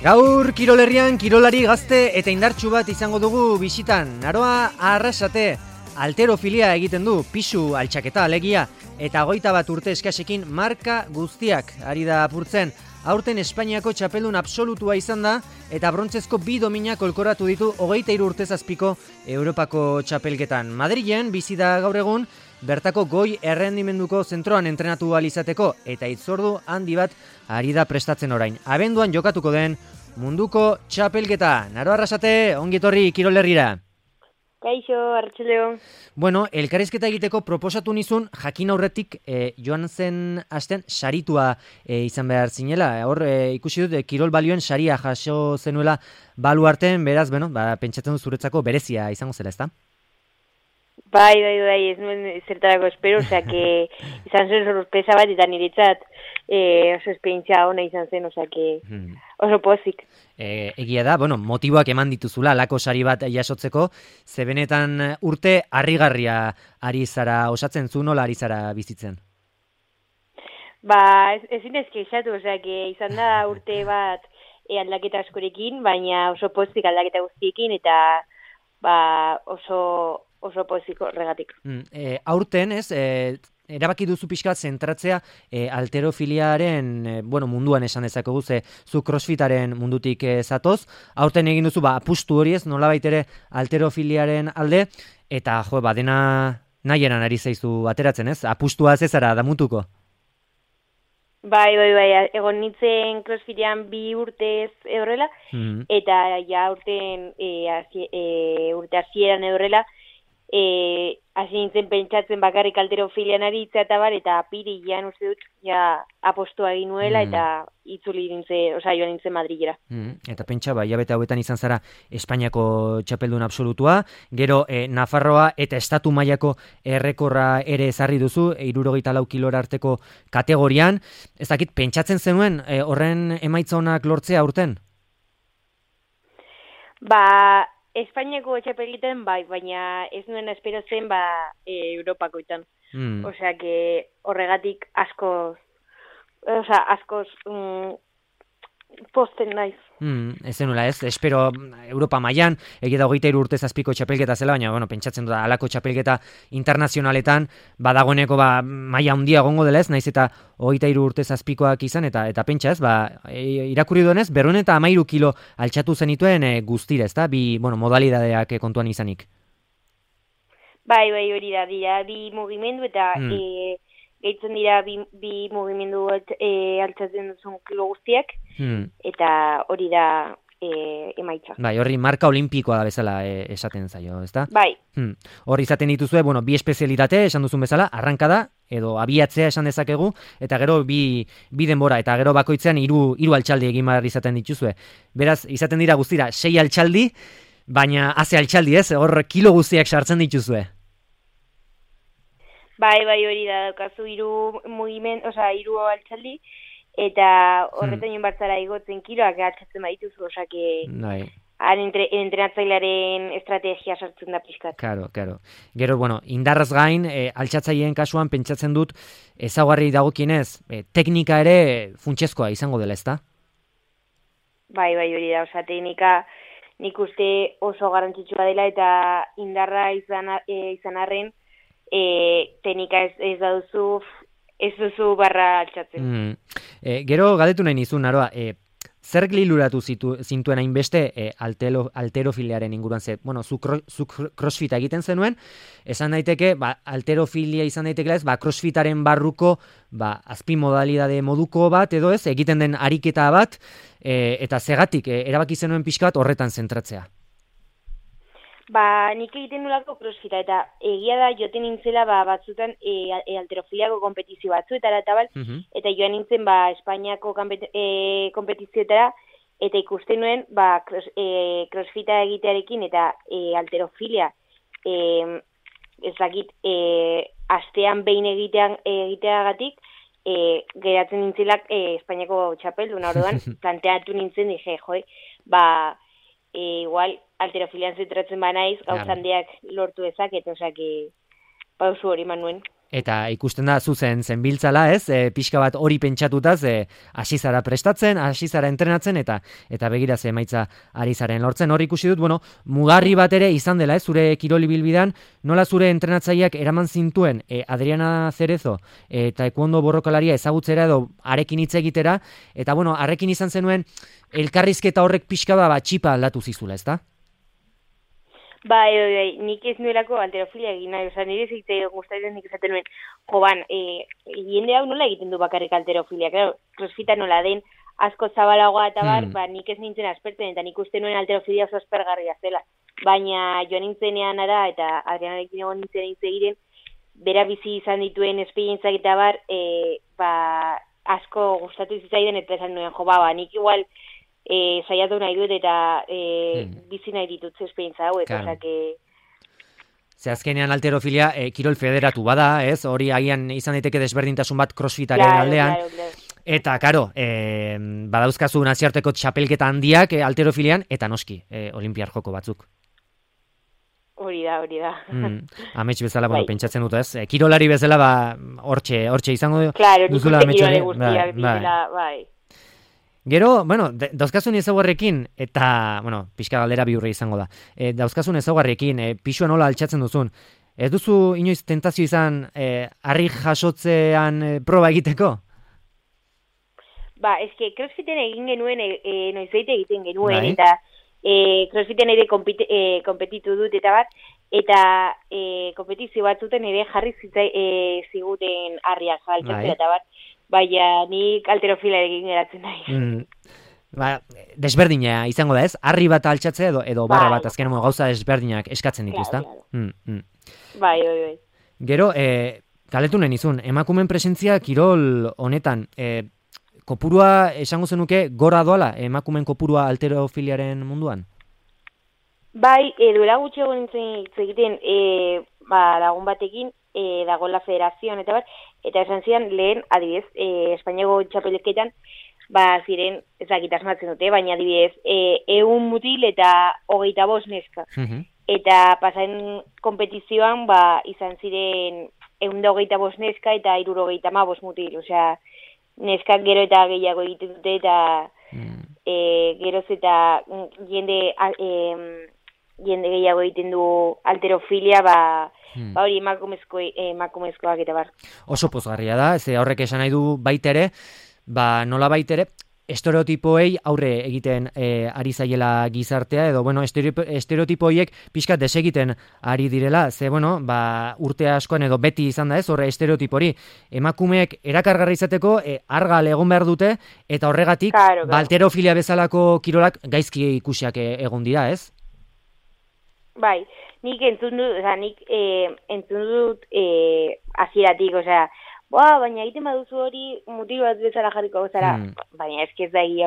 Gaur Kirolerrian kirolari gazte eta indartsu bat izango dugu bisitan. Aroa Arrasate alterofilia egiten du, pisu altxaketa alegia, eta 21 urte eskasekin marka guztiak ari da apurtzen. Aurten Espainiako txapeldun absolutua izan da, eta brontzezko 2 dominak kolkoratu ditu 23 urte zazpiko Europako txapelketan. Madrilen bizi da gaur egun, bertako goi errendimenduko zentroan entrenatu ahal izateko, eta hitzordu handi bat ari da prestatzen orain. Abenduan jokatuko den munduko txapelketa. Naro Arrasate, ongi etorri Kirolerrira. Kaixo, Arratsaldeon. Bueno, elkarrizketa egiteko proposatu nizun, jakin aurretik joan zen astean saritua izan behar zinela. Hor ikusi dut kirol balioen saria jaso zenuela baluarten, beraz, pentsatzen dut zuretzako berezia izango zela, ezta? Bai, ez nuen zertarako espero, que izan zen sorpresa bat, eta niretzat oso esperientzia ona izan zen, oso pozik. Egia da, motiboak eman dituzula, alako sari bat jasotzeko, ze benetan urte harrigarria ari zara osatzen, zu nola ari zara bizitzen? Ezin ezkeixatu, izan da urte bat aldaketa askorekin, baina oso pozik aldaketa guztiekin, eta oso pozik horregatik. Aurten, erabaki duzu pixkat zentratzea alterofiliaren munduan esan dezakegu, ze zu crossfitaren mundutik zatoz. Aurten egin duzu apustu hori ez, nolabait ere alterofiliaren alde, eta dena nahieran ari zaizu ateratzen ez? Apustua zezara damutuko? Bai, egon nintzen crossfitean 2 urtez horrela, eta ja urte hasieran horrela, hasi nintzen pentsatzen bakarrik alterofilian aritza eta apirilean uste dut apostua egin nuela eta itzuli nintzen, joan nintzen Madrilera. Eta pentsa, hilabete hauetan izan zara Espainiako txapeldun absolutua, gero Nafarroa eta estatu mailako errekorra ere ezarri duzu, 64 kilora arteko kategorian. Ez dakit, pentsatzen zenuen horren emaitza onak lortzea aurten? Espainiako txapelketan baina ez nuen espero zen Europakoetan. Horregatik askoz posten naiz. Ez zenuela ez, espero Europa mailan, egia da 23 urte zazpiko txapelketa zela, baina pentsatzen dut halako txapelketa internazionaletan badagoeneko maila handia egongo dela ez, naiz eta 23 urte zazpikoak izan, eta pentsa ez, irakurri duenez, 213 kilo altxatu zenituen guztira, ez da, bi modalidadeak kontuan izanik. Bai, hori da, dira, bi mugimendu eta gehitzen dira bi mugimendu altxatzen duzun kilo guztiak, eta hori da emaitza. Bai, horri marka olimpikoa da bezala esaten zaio, ezta? Bai. Hor izaten dituzue, bi espezialitate esan duzun bezala, arrankada, edo abiatzea esan dezakegu, eta gero bi denbora, eta gero bakoitzean 3 altxaldi egin behar izaten dituzue. Beraz, izaten dira guztira 6 altxaldi, baina haze altxaldi ez, hor kilo guztiak sartzen dituzue. Bai, hori da, daukazu 3 altxaldi, eta horretan joan bartzara igotzen kiloak altxatzen badituzu, entrenatzailearen estrategia sartzen da pixkat. Karo. Gero, indarraz gain, altxatzaileen kasuan pentsatzen dut ezaugarri dagokienez, teknika ere funtsezkoa izango dela, ezta? Bai, hori da, teknika nik uste oso garrantzitsua dela, eta indarra izan arren, teknika ez duzu barra altxatzen. Gero galdetu nahi nizun, Naroa, zer gliluratu zintuen hainbeste alterofiliaren inguruan ze? Zu crossfita egiten zenuen, esan daiteke, alterofilia izan daiteke ez, crossfitaren barruko azpimodalidade moduko bat edo ez, egiten den ariketa bat, eta zegatik erabaki zenuen pixka bat horretan zentratzea. Nik egiten nolako crossfita, eta egia da joten nintzela batzutan alterofiliako kompetizio batzuetara eta joan nintzen Espainiako kompetizioetara, eta ikusten nuen crossfita egitearekin eta alterofilia astean behin egiteagatik geratzen nintzelak Espainiako txapeldun, orduan planteatu nintzen, dije, igual alterofilian zentratzen banaiz, gauzandeak lortu ezaket, pausu hori manuen. Eta ikusten da zuzen zenbiltzala, ez? Pixka bat hori pentsatutaz, hasi zara prestatzen, hasi zara entrenatzen, eta begira ze emaitza ari zaren lortzen. Hor ikusi dut, mugarri bat ere izan dela, zure kiroli bilbidan, nola zure entrenatzaileak eraman zintuen Adriana Cerezo eta taekwondo borrokalaria ezagutzera edo arekin hitz egitera, eta arekin izan zenuen elkarrizketa horrek pixka bat txipa aldatu zizula, ezta? Bai, nik ez nuelako alterofilia egin nahi, nire zeitzei gustatzen nik esaten nuen, jende hau nola egiten du bakarrik alterofilia, claro, crossfita nola den, asko zabalagoa eta nik ez nintzen aspertzen, eta nik uste nuen alterofilia oso aspergarria zela, baina joan nintzenean ara, eta Adrianarekin egon nintzen hitz egiten, bera bizi izan dituen esperientzak eta asko gustatu zitzaiden, eta esan nuen, nik igual, saiatu nahi dut eta bizi nahi ditut esperientza hauek, Ze azkenean alterofilia kirol federatu bada, ez? Hori agian izan daiteke desberdintasun bat crossfitaren aldean. Eta, karo, badauzkazu nazioarteko txapelketa handiak alterofilian, eta noski, olimpiar joko batzuk. Hori da. Amets bezala, pentsatzen dut, ez? Kirolari bezala, hortxe izango duzula ametxore. Bai. Gero, dauzkazun ezaugarrekin, eta, pixka galdera bihurre izango da, dauzkazun ezaugarrekin, pixua nola altxatzen duzun, ez duzu inoiz tentazio izan harri jasotzean proba egiteko? Eske crossfiten egin genuen, noizeite egiten genuen, eta crossfiten ere kompetitu dut, eta kompetizio batzuten ere jarri ziguten harriak altxatzen, eta baina nik alterofila egin geratzen nahi. Desberdina izango da, ez? Harri bat altxatzea edo barra bat, azken gauza desberdinak eskatzen ditu, ezta? Bai. Gero, galetu nahi nizun, emakumen presentzia kirol honetan, kopurua esango zenuke gora doala, emakumen kopurua alterofiliaren munduan? Bai, duela gutxi egon nintzen egiten lagun batekin, dagoela federazioan eta esan zian lehen, adibidez, Espainiako txapelketan, ziren, ezakit asmatzen dute, baina adibidez, 100 mutil eta 25 neska. Eta pasaren kompetizioan, izan ziren 125 neska eta 75 mutil, osea, neskak gero eta gehiago egiten dute, eta geroz eta jende gehiago egiten du alterofilia, hori emakumezkoak eta bar. Oso pozgarria da, ze horrek esan nahi du baitere, nola baitere, estereotipoei aurre egiten ari zaiela gizartea, edo, estereotipoiek pixkat desegiten ari direla, ze, urte askoan edo beti izan da ez, horre estereotipori, emakumeek erakargarri izateko argal egon behar dute, eta horregatik, alterofilia bezalako kirolak gaizki ikusiak egon dira, ez? Bai, nik entzun dut hasieratik, baina egiten baduzu hori mutil bat bezala jarriko zara, baina ez da egia,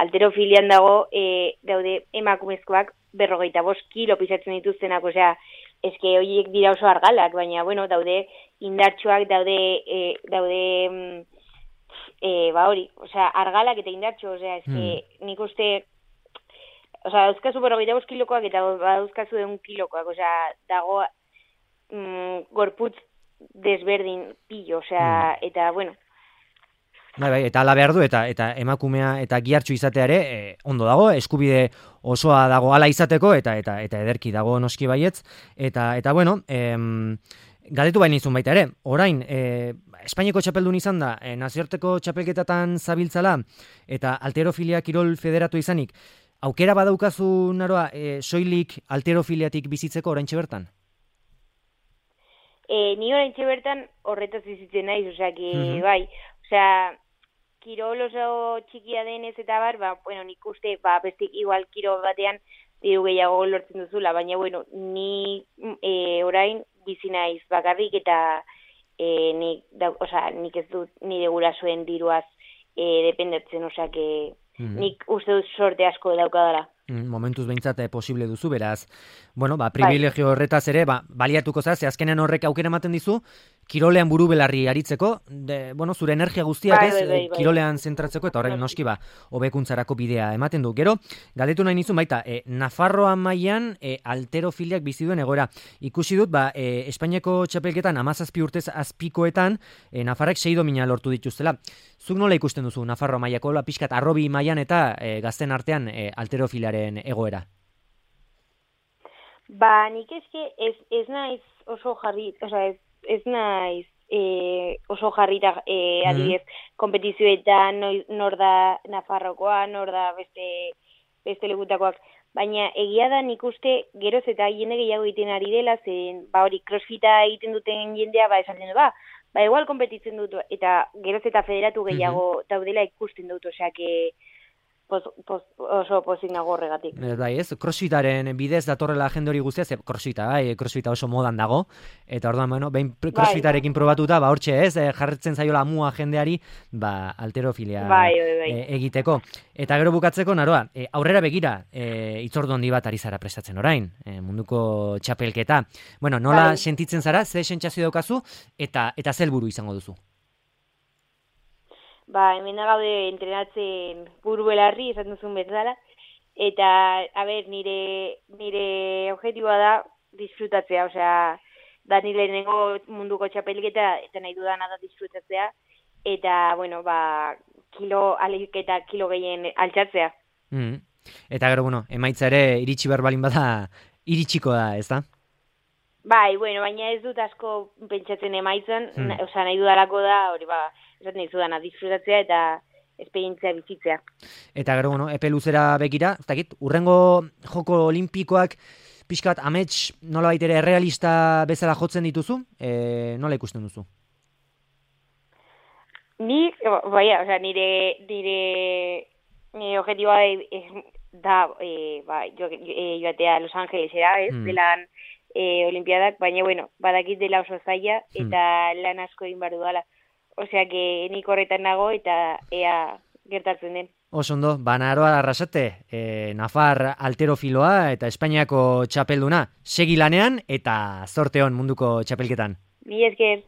alterofilian daude emakumezkoak 45 kilo pisatzen dituztenak, horiek dira oso argalak, baina, daude indartsuak, daude hori, argalak eta indartsu, nik uste, dauzkazu 45 kilokoak eta dauzkazu 1 kilokoak, dago gorputz desberdin pillo, eta, Bai, eta ala behar du, eta emakumea eta gihartxu izateare, ondo dago, eskubide osoa dago ala izateko, eta ederki dago noski baietz, eta galdetu baina izun baita ere, orain, Espainiako txapeldun izan da, nazioarteko txapelketatan zabiltzala, eta alterofilia kirol federatu izanik, aukera badaukazu naroa soilik alterofiliatik bizitzeko oraintxe bertan? Ni oraintxe bertan horretaz bizitzen naiz, bai, kirol oso txikia denez eta bar, nik uste, bestik igual kirol batean diru gehiago lortzen duzula, baina, ni orain bizi naiz bakarrik eta nik ez dut nire gurasoen diruaz dependetzen, nik uste dut sorte asko daukadala. Momentuz behintzat posible duzu, beraz, privilegio horretaz ere, baliatuko zaz, azkenean horrek aukera ematen dizu, kirolean buru belarri aritzeko, zure energia guztiak kirolean zentratzeko, eta horrek noski hobekuntzarako bidea ematen du. Gero, galdetu nahi nizun baita, Nafarroa mailan alterofiliak bizi duen egoera. Ikusi dut, Espainiako txapelketan 17 urtez azpikoetan, Nafarrek 6 domina lortu dituztela. Zuk nola ikusten duzu Nafarroa mailako, pixkat arrobi mailan eta gazten artean alterofiliaren egoera? Nik ez naiz oso jarri, ez naiz oso jarrita adibidez kompetizioetan nor da Nafarrokoa, nor da beste legutakoak, baina egia da nik uste geroz eta jende gehiago egiten ari dela, zen hori crossfita egiten duten jendea esaten du, igual kompetitzen dut, eta geroz eta federatu gehiago daudela ikusten dut, osea, oso pozik nago horregatik. Crossfitaren bidez datorrela jende hori guztia, crossfita oso modan dago, eta orduan, behin crossfitarekin probatuta, hortxe jarretzen zaiola amua jendeari, alterofilia egiteko. Eta gero bukatzeko, Naroa, aurrera begira, itzordu handi bat ari zara prestatzen orain, munduko txapelketa. Nola sentitzen zara, ze sentsazio daukazu, eta ze helburu izango duzu? Hemen gaude entrenatzen buru belarri, esan duzun bezala, eta, nire objetiboa da disfrutatzea, osea, da nire lehenengo munduko txapelketa, eta nahi dudana da disfrutatzea, eta, kilo gehien altxatzea. Eta gero, emaitza ere iritsi berbalin bada, iritsiko da, ez da? Baina ez dut asko pentsatzen emaitzan, osea, nahi dudalako da, hori esaten dizudana, disfrutatzea eta esperientzia bizitzea. Eta gero, epe luzera begira, ez dakit, urrengo joko olimpikoak pixkat amets nola baitere errealista bezala jotzen dituzu? Nola ikusten duzu? Nire objetiboa da joatea Los Angelesera, delan olimpiadak, baina, badakit dela oso zaila eta lan asko egin behar dudala. Osea, nik horretan nago eta ea gertatzen den. Osondo, Naroa Arrasate, Nafar alterofiloa eta Espainiako txapelduna. Segi lanean eta zorte on munduko txapelketan. Mila esker.